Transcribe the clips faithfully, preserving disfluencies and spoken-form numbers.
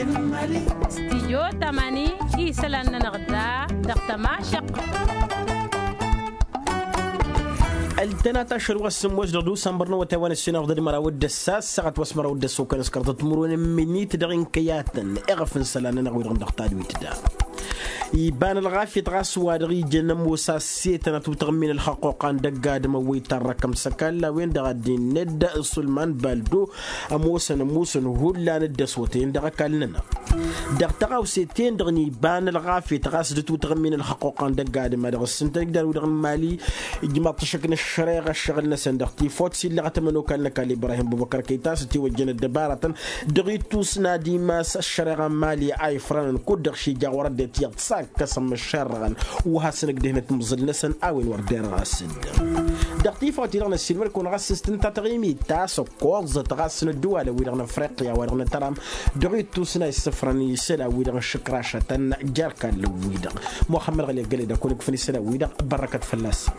Stijyo tamani isălan-nănăɣ da dăɣ-tămašăqq. Ăltănat ašăl wa s-sǝmmos dăɣ-dusănbăr n-awătay wa n-ăssinăɣ dăɣ-măraw d-ăssas săɣăt wa s-măraw d-ăssokăn s-kărtăt timǝrwen n-minit dăɣ-inkăyatăn iɣăf n-isălan-nănăɣ wi-dăɣ n-dăɣ tadwit da. Iba n-ălɣafyăt ɣas wa dăɣ-ijăn ămoos a-s setăn atutăɣ n-min ălxăqquqa n-dăgg-adǝm ăwwăy tarrăkăm s-ăkall a-wen-dăɣ a dd-innă dd-sulman baldo ămoosăn ămusăn hullan dd-ăswătăyăn dăɣ-ăkall-nănăɣ. Dăɣ-tăɣawse-ten-dăɣ n-iba n-ălɣafyăt ɣas d-atutăɣ n-min ălxăqquqa n-dăgg-adǝm a dăɣ-ǝssǝntăn igdar-wi-dăɣ n-mali ijmaḍ-t ašăk n-ăššăreɣa ăššăɣǝl-năsăn dăɣ-tifot s-illăɣăt ămănokal n-ăkall ibrahim bubăkăr kăy-t a-s ătiwăjjăn ăddăbarătăn dăɣ-ittus n-ad-imas ăššăreɣa n-mali a ifrănăn kud-dăɣ šija wăr ăddinăt iyyăḍ s-akkăsăn măššărrăɣăn wa hasăn-ăgg dehnăt imẓǝl-năsăn a-wen wăr derăɣ a-s dd-dăɣ tifawt-i-dăɣ n-ăssiilmăd-kăwăn ɣas s-tǝnta taɣimit ta s-ăkkoẓăt ɣas n-ăddǝwal a-wi-dăɣ n-afriqya wa dăɣ-nătăram dăɣ-ittus n-a issǝfrăn isălan-wi-dăɣ n-išǝkrašătăn jer-ikallăn-wi-dăɣ. Muxămmăd ɣăli ăggălăy d-akun ǝkfăn isălan-wi-dăɣ bărrăkăt fălla-săn.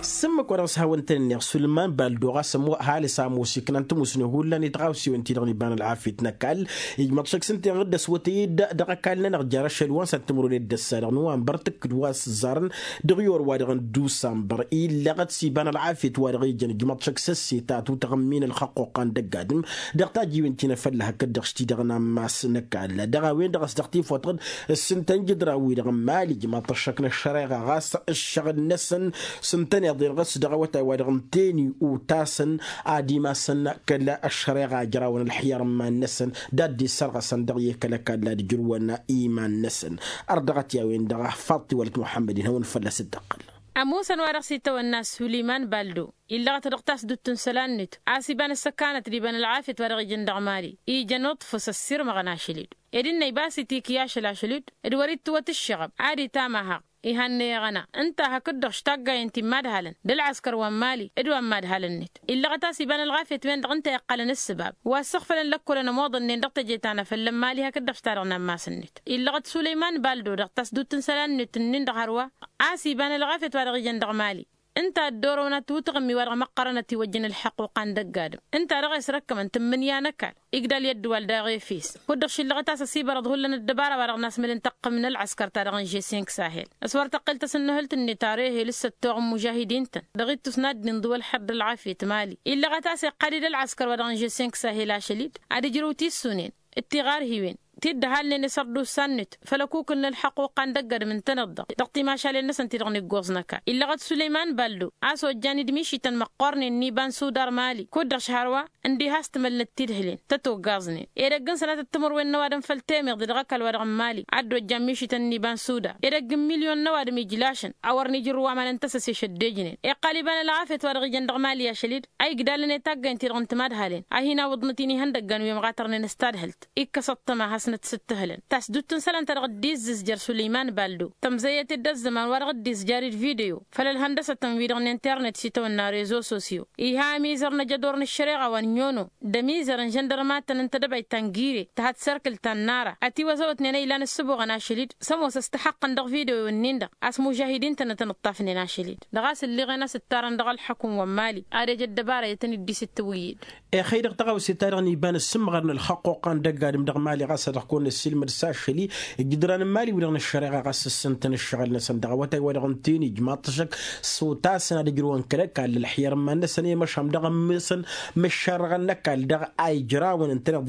S-ǝmmǝk wa dăɣ-s hawăn-tăn-ǝnneɣ sulman baldo ɣas ămoos ăhalǝs ămoos iknan tămusne hullan i-tɣawsiwen-ti-dăɣ n-iba n-ălɣafyăt n-ăkall ijmăḍ šăkk s-ǝnta-en dd-ăswătăy-dd dăɣ-ăkall-nănăɣ jer-ašăl wa n-săr timǝrwen d-ăssa dăɣ-nowănbăr tǝkkǝd wa s-ẓarăn dăɣ-iyor wa dăɣ-n dusanbăr illăɣăt s-iba n-ălɣafyăt wa dăɣ-ijăn ǝjmăḍ šăkk s-ăsseta tutăɣ n-min ălxăqquqa n-dăgg-adǝm dăɣ-tajjiwen ti n-afălla hakd-dăɣ s-ti-dăɣ n-ammas n-ăkall dăɣ-a-wen-dăɣ a-s dăɣ-tifotăɣ-dd s-ǝntăn jǝdran-wi-dăɣ n-mali ijmaḍ-t ăššăk n-ăššăreɣa ɣas ǝššăɣǝl-năsăn s-ǝntăneḍ-en ɣas dăɣ-awătay wa dăɣ-n teni utasăn ad-imasăn kăl-ăššăreɣa ǝjrawăn ălxiyăr n-iman-năsăn d-ad-dd-issărɣăsăn dăɣ-i kăl-ăkall ad-ǝjrǝwăn iman-năsăn. Ărdăɣăt i-a-wen-dăɣ faḍt-i wălăt muḥămmăd-in hawăn-fălla-s dd-tăqqǝl. Ămoosăn wa dăɣ-s itawănna suliman baldo illăɣăt dăɣ-tasdut n-isălan-net a-s iba n-ăssăkanăt d-iba n-ălɣafyăt wa dăɣ-ijăn dăɣ-mali ijăn uḍfǝs ăssirmăɣăn ašăl-dd ed ǝnnăy ba s-itikǝy ašăl ašăl-dd d-wăr-ittǝwăt ǝššăɣăb ad-itamahăɣ ihannăy-aɣăna ǝnta hakd-dăɣ štaggayăn ti n-imadhalăn d-ălɣăskăr wa n-mali d-wa n-imadhalăn-net. Illăɣăt a-s iba n-ălɣafyăt-wen-dăɣ ǝnta iqqălăn ǝssǝbab wa ǝssăɣfălăn lăkkolăn ămoḍănnen dăɣ-teje ta n-afăl n-mali hakd-dăɣ s-ta-dăɣ n-ammas-net. Illăɣăt sulăyman baldo dăɣ-tasdut n-isălan-net ǝnnin-dăɣ hărwa a-s iba n-ălɣafyăt wa dăɣ-ijăn dăɣ-mali ǝnta a dd-orăwăn atutăɣ n-mi-wa-dăɣ măqqărăn ătiwăjjăn ǝlḥăqquqa n-dăgg-adǝm ǝnta-dăɣ a isrăkkămăn tǝmmǝnǝya n-ăkall igdal i-ăddǝwal daɣ efes. Kud-dăɣ šillăɣăt a-s ăsibărăḍ hullan ăddăbara wa dăɣ-nasmăl n-tăqqǝm n-ălɣăskăr ta dăɣ-n žesink sahel. S-wăr tăqqǝl tasǝnnăhǝlt-net arehel s-săttoɣ n-mužahidin-tăn dăɣ-ittus n-ad-dd-inḍǝw ălxer d-ălɣafyăt mali illăɣăt a-s iqqăl-dd ălɣăskăr wa dăɣ-n žesink sahel ašăl-dd ad-ǝjrǝw tissunen d-tiɣarhiwen ti dd-ăhalnen isărdusan-net făll-ăkukǝl n-ălxăqquqa n-dăgg-adǝm ǝntăneḍ-dăɣ dăɣ-timašalen-năsăn ti-dăɣ n-iggoẓ n-ăkall. Illăɣăt sulăyman baldo a-s ojjan-dd mišităn măqqornen n-iba n-sudar mali kud-dăɣ šhărwa ǝndiha a-s tǝmălnăt tidhǝlen tăt-oggăẓnen edăgg n-sănatăt timǝrwen n-ăwadǝm făll-temeḍe dăɣ-ăkall wa dăɣ-n mali a dd-ojjan mišităn n-iba n-sudar edăgg n-milyon n-ăwadǝm ijlašăn a wăr n-ijrǝw aman n-tăsăse šăddejnen. Iqqal iba n-ălɣafyăt wa dăɣ-ijăn dăɣ-mali ašăl-dd a igdalăn i-taggayăn-ti-dăɣ n-timadhalen a hin-awǝḍnăt-in ihăndăggan wi ămɣatărnen s-tadhǝlt. Ikkăs ăṭṭăma hasnăt s-ǝttǝhǝlăn tasdut n-isălan ta dăɣ-dd-izzǝzjăr sulăyman baldo tămzăyăt-dd ăzzăman wa dăɣ-dd-izjar d-video făll-ălhăndăsătăn-wi-dăɣ n-internet s-itawănna rezo sosyo. Iha ămizăr n-ajădor n-ăššăreɣa wa n-nyono d-ămizăr n-žăndărmatăn n-tedăbayt ta n-gire tăhăt serkǝl ta n-nara ătiwăzăwătnen a ilan ǝssǝboɣăn ašăl-dd s-ămoos ăstăxăqqăn dăɣ-video-wen-nin-dăɣ a-s mužahidin-tăn ătăn-ǝṭṭafnen ašăl-dd. Dăɣ-a-s ǝlliɣen a-s ǝttarăn dăɣ-ălḥăkum wa n-mali ad-ej ăddăbara i-tăn-dd-isǝttǝwǝyyǝd. Exăy dăɣ-taɣawse-ta-dăɣ n-iba n-ǝssǝmmăɣăr n-ălxăqquqa n-dăgg-adǝm dăɣ-mali ɣas ad-dăɣ-kăwăn-năssiilmăd s-ašăl-i ǝjǝdran n-mali wi-dăɣ n-ăššăreɣa ɣas ǝssǝntăn ǝššăɣǝl-năsăn dăɣ-awătay wa dăɣ-ǝnta-en ijmaḍ-t ašăk s-otasăn ad-ǝjrǝwăn kăl-ăkall ălxiyăr n-iman-năsăn i-măšan dăɣ-ămmesăn măššărrăɣăn n-ăkall dăɣ-a ijrawăn ǝntăneḍ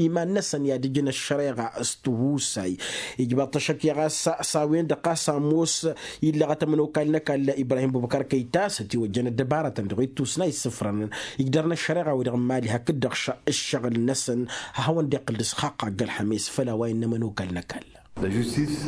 iman-năsăn i-ad-ǝjǝn ăššăreɣa s-tihusay. Ijmaḍ-t ašăk i-ɣas s-a-wen-dăɣ ɣas ămoos illăɣăt ămănokal n-ăkall ibrahim bubăkar kăytas ătiwăjjăn ăddăbarătăn dăɣ-ittus n-a issǝfrănăn igdărăn ăššăreɣa-wi-dăɣ n-mali hakd-dăɣ ǝššăɣǝl-năsăn ad-hawăn-dd-iqqǝl d-asxaqqa ăgg-ălxămes făll-a-wa innă ămănokal n-ăkall.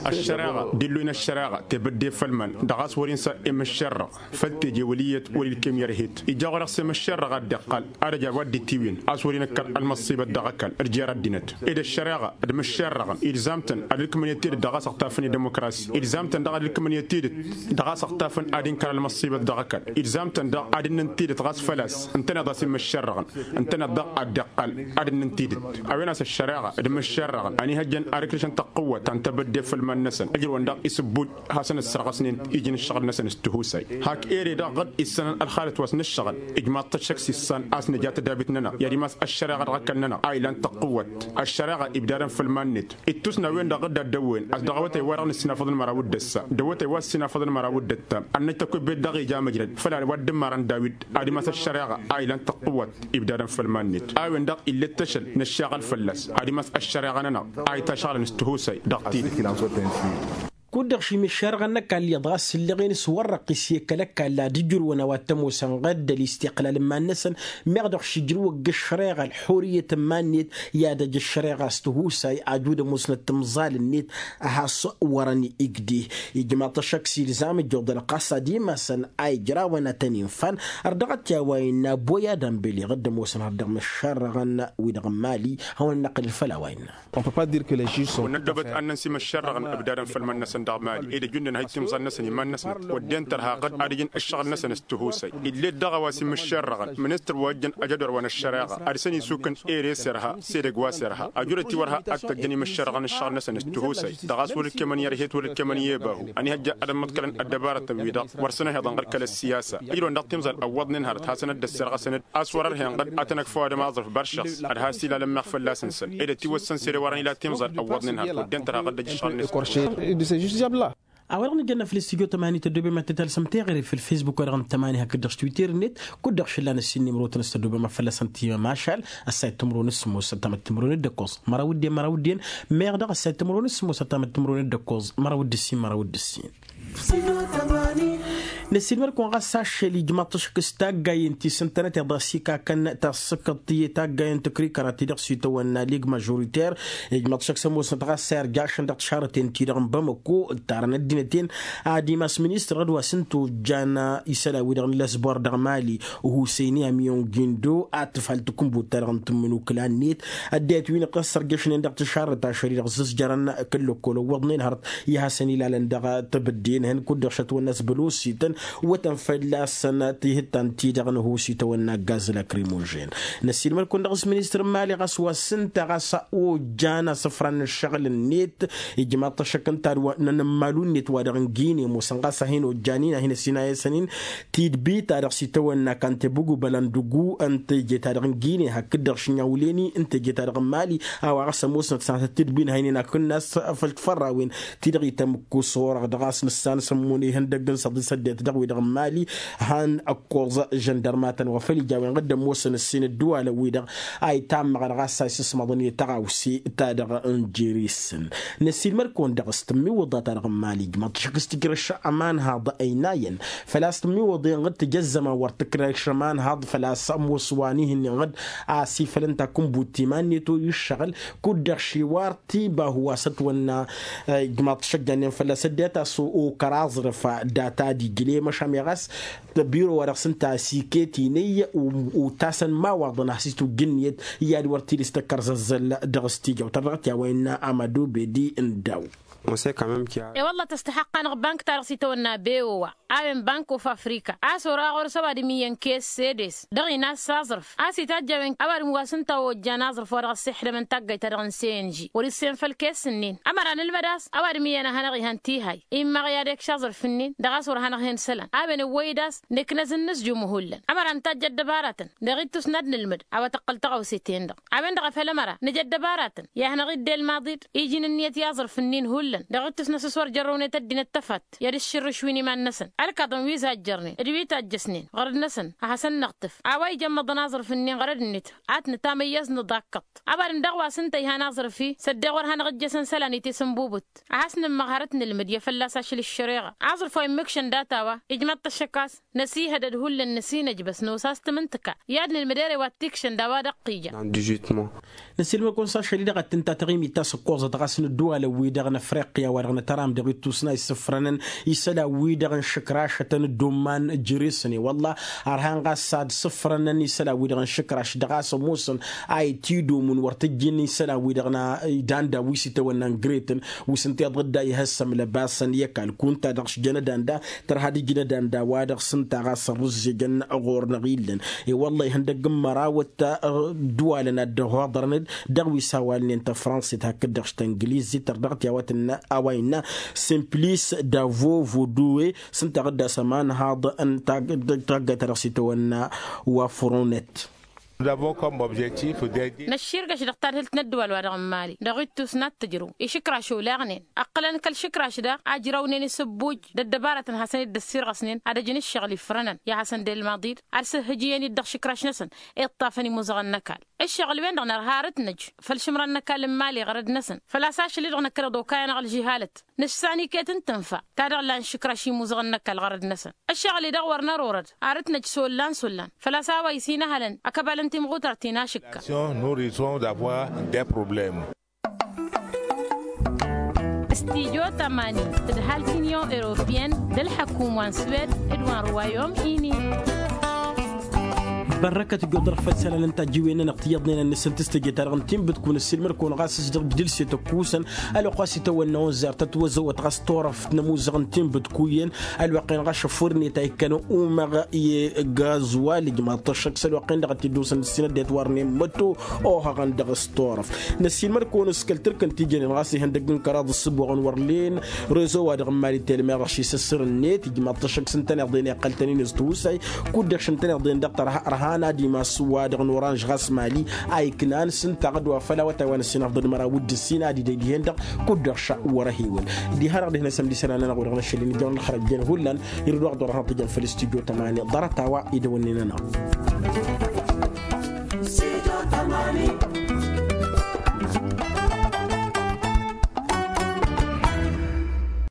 Ăššăreɣa d-illu-in ăššăreɣa tebădde făll-iman dăɣ-a-s wăr-insa i-măššărrăɣ făll-teje wăl' iyyăt wăr-ilkem i-ărhet ija ɣur-ăɣ s-e-măššărrăɣ ad-dd-iqqal ad-ăj a-wa dd-itiwǝyăn a-s wăr-inăkkăr ălmăṣṣibăt dăɣ-ăkall d-jer-ăddinăt ed ăššăreɣa d-imǝššerrăɣăn ilzam-tăn ad-ǝlkǝmăn i-tidǝt dăɣ-a-s ăɣtafăn i-dimukras ilzam-tăn daɣ ad-ǝlkǝmăn i-tidǝt dăɣ-a-s ăɣtafăn ad-inkăr ălmăṣṣibăt dăɣ-ăkall ilzam-tăn daɣ ad-ǝnnǝn tidǝt ɣas făl-a-s ǝntăneḍ a-s immǝššerrăɣăn ǝntăneḍ daɣ ad-dd-iqqal ad-ǝnnǝn tidǝt. A-wen a-s ăššăreɣa d-imǝššerrăɣăn ănihăjjăn ad-ǝkrǝšăn tăqqǝwwăt. N-tebădde făll-iman-năsăn ǝjrǝwăn daɣ isǝbbuj hasăn-ăssărɣăsnen iji n-ǝššăɣǝl-năsăn s-tihusay. Hak ere daɣ ɣǝd issanăn ălxalăt wa s-nǝššăɣǝl ijmaḍ-t ăššăk s-issan a-s nǝja tădabit-nănăɣ i-ad-imas ăššăreɣa dăɣ-ăkall-nănăɣ a ilan tăqqǝwwăt. Ăššăreɣa ibdadăn făll-iman-net ittus n-a-wen-dăɣ dd-ad-dăwwen a-s dăɣ-awătay wa-dăɣ nǝssinafăḍ n-măraw d-ăssa d-awătay wa s-sinafăḍ n-măraw d-ăttam ănnăj tăkubbet dăɣ-ija măjrăd făll-a-wa dd-ǝmmărăn dawid ad-imas ăššăreɣa a ilan tăqqǝwwăt. Ibdadăn făll-iman-net a-wen-dăɣ ill'-e d-tăšăl nǝššaɣăl fălla-s ad-imas ăššăreɣa-nănăɣ a ităšɣălăn s-tihusay dăɣ-tidǝt. Kud-dăɣ šim ǝššărɣăn n-ăkall iyyăḍ ɣas ǝlleɣen s-wăr-răqqis i-kăl-ăkall ad-ǝjrǝwăn a-wa t-ămoosăn ɣădd ălistiqlal n-iman-năsăn. Meɣ dăɣ-šijrǝwăg ǝššăreɣa ălxurǝyăt n-iman-net i-ad-ăj ǝššăreɣa s-tihusay ajud ămoosnăt timẓal-net. A has-wărăn igdih ijmaḍ-t ăššăk s-ilzam ǝjjuḍăl ɣas ad-imasăn a ijrawăn ad-tăn-infan. Ărdăɣăt i-a-wa innă boy ad-ănbăleɣ dd-ămoosăn har dăɣ-imǝššărrăɣăn-wi-dăɣ n-imali. Hawăn-năqqǝlăl făll-a-wa innă. Wăr năddob ad-nănsi imǝššărrăɣăn ǝbdadăn făll-iman-năsăn dăɣ-imali ed ăjunnan ha ittimẓal-năsăn iman-năsnăt wădden tărha ɣăd ad-ǝjǝn ǝššăɣǝl-năsăn s-tihusay. Ill'-e-d dăɣ-a-wa s-imǝššărrăɣăn ministăr wa ǝjjăn ajădor wa n-ăššăreɣa ad-săn isukǝn ere s-irha s-edăgg wa s-irha ăjudăt-i wăr ha ad-t-ăjjăn imǝššărrăɣăn ǝššăɣǝl-năsăn s-tihusay. Dăɣ-a-s wăr ǝkkemăn i-ărhet wăr ǝkkemăn i-ebahu ănihăjja ad-ămmăḍkălăn ăddăbarătăn-wi-dăɣ wăr săn-ăhiḍăn ɣăr kăl-ăssiyasa ǝjrăwăn dăɣ-timẓal ăwwăḍnen hărăt hasăn-ădd-ăssărɣăsăn-dd. A-s wăr-ărhen ɣăd ad-tăn-ăkf ăwadǝm aẓrǝf băršăɣ ad-has-ilalăn meɣ fălla-s-năsăn ed ătiwăssăn s-ere wărăn ila timẓal ăwwăḍnen hărăt wădden tărha ɣăd ăjjăšɣăl-net. A-wa-dăɣ nǝjănna făll-istudyo tămani tăddobem ad-t-talsăm teɣăre făll-fesbuk wa dăɣ-nǝttămani hakd-dăɣ s-twitter-net. Kud-dăɣ šăllan ǝssin nimrotăn s-tăddobem ad-fălla-săn timămašal. Ăssayăt timǝrwen s-sǝmmos ăttamăt timǝrwen d-ăkkoẓ măraw d-en măraw d-en. Meɣ dăɣ-ăssayăt timǝrwen s-sǝmmos ăttamăt timǝrwen d-ăkkoẓ măraw d-ǝssin măraw d-ǝssin. Năssiilmăd-kăwăn ɣas ašăl ijmaḍ-t ăššăk s-taggayen ti s-ǝntănăteḍ a-s ikakăn tasǝkkăḍt i-taggayen tǝkrikăra ti-dăɣ s-itawănna lig mažoriter. Ijmaḍ-t ăššăk s-ămoosnăt ɣas a irjašăn dăɣ-tišarrăten-ti-dăɣ n-bamăko ǝttarăn ăddinăt-en. Ad-imas ministăr ɣǝd wa s-ǝnta ojjan isălan-wi-dăɣ n-lăzbor dăɣ-mali husăyni amyon gindo ad-tǝfhăl takǝnbut-ta-dăɣ n-tǝmmǝnukǝla-net. Ăddinăt wi n-iqqăs sărjăšnen dăɣ-tišarrăt ašăl-i-dăɣ ǝzzǝzjărăn kǝll-ăkkol ăwwăḍnen hărăt i-hasăn-ilalăn dăɣ-tebǝdde-năhăn kud-dăɣ šătwănna s-bălosităn. Wătăn fălla-săn tihǝttan-ti-dăɣ n-ăhuus itawănna gaz lakrimožen. Năssiilmăd-kăwăn dăɣ-s ministăr n-imali ɣas wa s-ǝnta ɣas ojjan asǝfran n-ǝššăɣǝl-net. Ijmaḍ-t ăššăk ǝnta ad-wa n-anămmalu-net wa dăɣ-n gine ămoosăn ɣas a hin-ojjan-in a hin-ăsinayăsăn-in tidbi-ta-dăɣ s-itawănna kantebug u-bălăndǝgu ǝnta eje-ta-dăɣ n-gine hakd-dăɣ šǝnniya wǝlen-i ǝnta eje-ta-dăɣ n-imali. A-wa ɣas ămoosnăt s-ad-tǝtdǝbin ha inen akǝnnas făll-tifărrawen ti-dăɣ itămǝkkus orăɣ dăɣ-a-s nǝssan s-ămmun ihăndăgg n-săḍi s-ăddinăt dăɣ-wi-dăɣ n-imali. Han ăkkoẓ žăndărmatăn wa făl ija a-wen ɣǝddăn ămoosăn ǝssin ădduwalăn-wi-dăɣ a itammăɣăn ɣas a isǝsmăḍăn i-tăɣawse-ta-dăɣ n-jere-săn. Năssiilmăd-kăwăn dăɣ-s tǝmmiwǝḍa-ta-dăɣ n-imali ǝjmăḍ-t ăššăk s-tǝjrăš ămanhaḍ ăynayăn făl-a-s tǝmmiwǝḍen ɣǝd tǝjăzzăma wăr tǝkrăš ămanhaḍ făl-a-s ămoos wa n-ihǝnnin ɣǝd a-s ifăl ǝnta akǝnbut iman-net oy ǝššăɣǝl. Kud-dăɣ šiwar tibahu wa s-ătwănna ijmaḍ-t šăjjannen fălla-s ăddinăt a-s okăr aẓrǝf data d-ijle măšan meɣ a-s tăbiro wa dăɣ-s ǝnta a-s iket inăyy. Utasăn imawaḍăn a has-itwǝjj ǝnniyăt i-ad-wăr t-dd-istăkkăr zăzzăl dăɣ-s tijawt ărdăɣăt i-a-wa innă amădo bedi n-daw. E-wălla tăstăxăqq-anăɣ bank-ta-dăɣ s-itawănna beowa a-wen bank of afrika a-s ora ɣur-s ăwadǝm iyyăn kes sedes dăɣ-inas s-aẓrǝf a-s itajj a-wen ăwadǝm wa s-ǝnta ojjan aẓrǝf wa dăɣ-ăssixdămăn taggayt-ta-dăɣ n-senži wăr-issem făll-kes-ǝnnin. Ămăra nǝlmăd a-s ăwadǝm iyyăn a hanăɣ-ihăn tihay immăɣ i-ad-ekš aẓrǝf-ǝnnin dăɣ-a-s wăr hanăɣ-hen isălan a-wen ăwwăy-dd a-s nǝknăz-in nǝsjum hullan ămăra nǝtajj ăddăbaratăn dăɣ-ittus n-ad-nǝlmǝd a-wa tăqqăl tăɣawse-ten-dăɣ. A-wen-dăɣ a făl ămăra nǝj' ăddăbaratăn i-ad-hanăɣ-idde ălmaḍi-dd iji n-ǝnniyăt i-aẓrǝf-ǝnnin hullan dăɣ-ittus n-asǝs wăr jărrăwnet ăddinăt tăfatt i-ad-ǝššǝrrǝš wi n-iman-năsăn. Ălkaḍăn wi zajjărnen d-wi tajjăsnen ɣărăd-năsăn ad-hasăn-nǝɣtǝf a-wa ijămmăḍăn aẓrǝf-ǝnnin ɣărăd-net ad-t-nǝtamăyyăẓ nǝḍakkăḍ. Ăwadǝm daɣ wa s-ǝnta ihan aẓrǝf-i s-ăddeɣ wăr hanăɣ-ǝjjăsăn isălan i-tisǝnbubǝt a has-nǝmmăɣ hărăt nǝlmǝd i-fălla-s ašăl ǝššăreɣa. Aẓrǝf wa immǝkšăn data-wa ijmaḍ-t ăššăk a-s năsihădăd hullan năsinăjbăs nos a-s tǝmǝntǝka i-ad-nǝlmǝd ere wa t-ikšăn d-a-wa dăɣ-t ija. Năsilmăd-kăwăn s-ašăl-i-dăɣ ad-t-ǝnta taɣimit ta s-ǝkkoẓăt ɣas n-ădduwalăn wi-dăɣ n-ăfrăɣ. Ăqqǝya-wa-dăɣ nǝtăram dăɣ-ittus n-a isǝfrănăn isălan-wi-dăɣ n-išǝkrašătăn dd-umman jere-săn i-wălla. Ărhan ɣas ad-sǝfrănăn isălan-wi-dăɣ n-išǝkraš dăɣ-a-s ămoosăn a itidomǝn wăr tǝjjǝn isălan-wi-dăɣ n-a idan da wi s-itawănna n-gretăn wi s-ǝnta iḍădda ihăssăm lăbasăn i-ăkall kunta-dăɣ s-jănădan da tărha d-ijnădan da-wa-dăɣ s-ǝnta ɣas ărrǝzzejăn ɣur-năɣ illăn. I-wălla ihăndăgg n-mărawăt ăddăwalăn ad-dd-ăhoḍărăn-dd dăɣ-wi s-awalnen tăfrănsit hakd-dăɣ s-tăngliz ităr dăɣ-ti a-wa innă simplis davo vodoe s-ǝnta ɣǝddas ămanhaḍ n-taggayt ta dăɣ-s itawănna wa fronnet. Năšširgăš dăɣ-tadhǝlt n-ăddăwal-wa-dăɣ n-mali dăɣ-ittus n-ad-tǝjrǝw išǝkraš oleɣnen ǝqqǝlăn kăl-išǝkraš daɣ ajrăwnen isǝbbuj d-ăddăbarătăn hasăn-dd-ăssirɣăsnen ad-ăjǝn ǝššăɣǝl ifrănăn i-ad-hasăn-dd-ilmaḍ-dd ad-sǝhhǝjǝyăn-dd dăɣ-išǝkraš-năsăn. Iṭṭafăn imuzăɣăn n-ăkall ǝššăɣǝl-wen-dăɣ nărha arǝtnăj făll-išǝmran n-ăkall n-mali ɣărăd-năsăn făl-a-s ašăl-i-dăɣ năkkăneḍ okayăn aɣǝlžǝhalăt nǝssan iket n-tǝnfa ta dăɣ-lan išǝkraš imuzăɣăn n-ăkall ɣărăd-năsăn. Ǝššăɣǝl-i-dăɣ wăr nărorăd arǝtnăj s-ollan s-ollan făl-a-s a-wa isinăhălăn ăkăbal n-timɣutart inašǝkka. Nurison dapwa de probleme. Studyo tămani tǝdhal tinion europeyăn d-ălḥăkum wa n-swed d-wa n-ruwayom ini. Bărrăkăt ǝjjoḍăr făll-isălan n-tajjiwen-nănăɣ tiyyăḍnen ad-nǝsǝntǝs teje-ta-dăɣ n-tinbǝtkun ăssiilmăd-kăwăn ɣas s-dăɣ ǝjdǝlset ăkkusăn ălwăqq wa s-itawănna onzer tătwăzăwăt ɣas turăft n-ămuzăɣ n-tinbǝtku iyyăn ălwăqq-en ɣas šăfurnet a ikkăn umăɣ i-gazwal ijmaḍ-t ăššăk s-ălwăqq-en-dăɣ a t-dd-osăn d-ǝssin ăddinăt wa ărnen măto ohăɣăn dăɣ-s turăft. Năssiilmăd-kăwăn s-kăl-tǝrk n-tijănen ɣas ihăndăgg n-kăraḍ ǝssǝboɣăn wăr len rezo-wa-dăɣ n-mali telmeɣ ăššisăssăr-net ijmaḍ-t ăššăk s-ǝntăneḍ-en iqqăl-tăn-in s-tihusay kud-dăɣ šăn tăneḍ-en-dăɣ tărha ărhan ad-imas wa-dăɣ n-oranž ɣas mali a iknan s-ǝnta ɣǝd wa făl awătay wa n-ǝssin afḍăd măraw d-ǝssin ad-idăy dihen-dăɣ kud-dăɣ šăɣ wăr-ăhiwǝl. Diha-dăɣ dihnăsăm d-isălan-nănăɣ wi-dăɣ n-ašăl-in ijăwăn ălxărăt jen hullan irǝd wa ɣ-dd-orăhăn ăṭṭijăn făll-studyo tămani ḍarăt-a-wa idăwănnen-nănăɣ.